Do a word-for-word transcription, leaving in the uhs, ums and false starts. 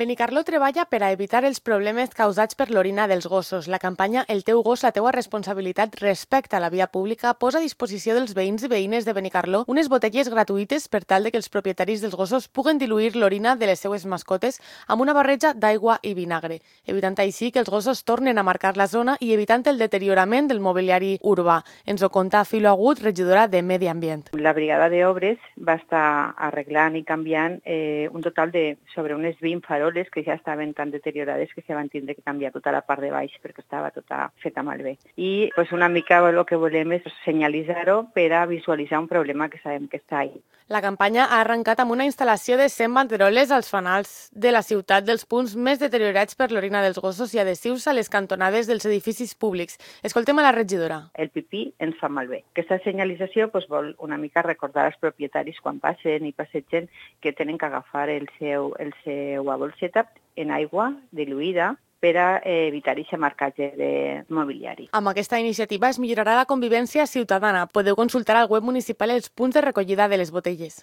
Benicarló treballa per a evitar els problemes causats per l'orina dels gossos. La campanya El teu gos, la teua responsabilitat respecte a la via pública posa a disposició dels veïns i veïnes de Benicarló unes botelles gratuïtes per tal de que els propietaris dels gossos puguen diluir l'orina de les seues mascotes amb una barreja d'aigua i vinagre, evitant així que els gossos tornen a marcar la zona i evitant el deteriorament del mobiliari urbà. Ens ho conta Filo Agut, regidora de Medi Ambient. La brigada d'obres va estar arreglant i canviant eh, un total de sobre unes vint faroles que ja estaven tan deteriorades que se van tindre que canviar tota la part de baix perquè estava tota feta malbé. I pues, una mica el que volem és senyalitzar-ho per a visualitzar un problema que sabem que està ahí. La campanya ha arrencat amb una instal·lació de cent banderoles als fanals de la ciutat dels punts més deteriorats per l'orina dels gossos i adhesius a les cantonades dels edificis públics. Escoltem a la regidora. El pipí ens fa malbé. Aquesta senyalització pues, vol una mica recordar als propietaris quan passen i passegen que tenen que agafar el seu, el seu bolseta en aigua diluïda per a evitar aquest marcatge de mobiliari. Amb aquesta iniciativa es millorarà la convivència ciutadana. Podeu consultar al web municipal els punts de recollida de les botelles.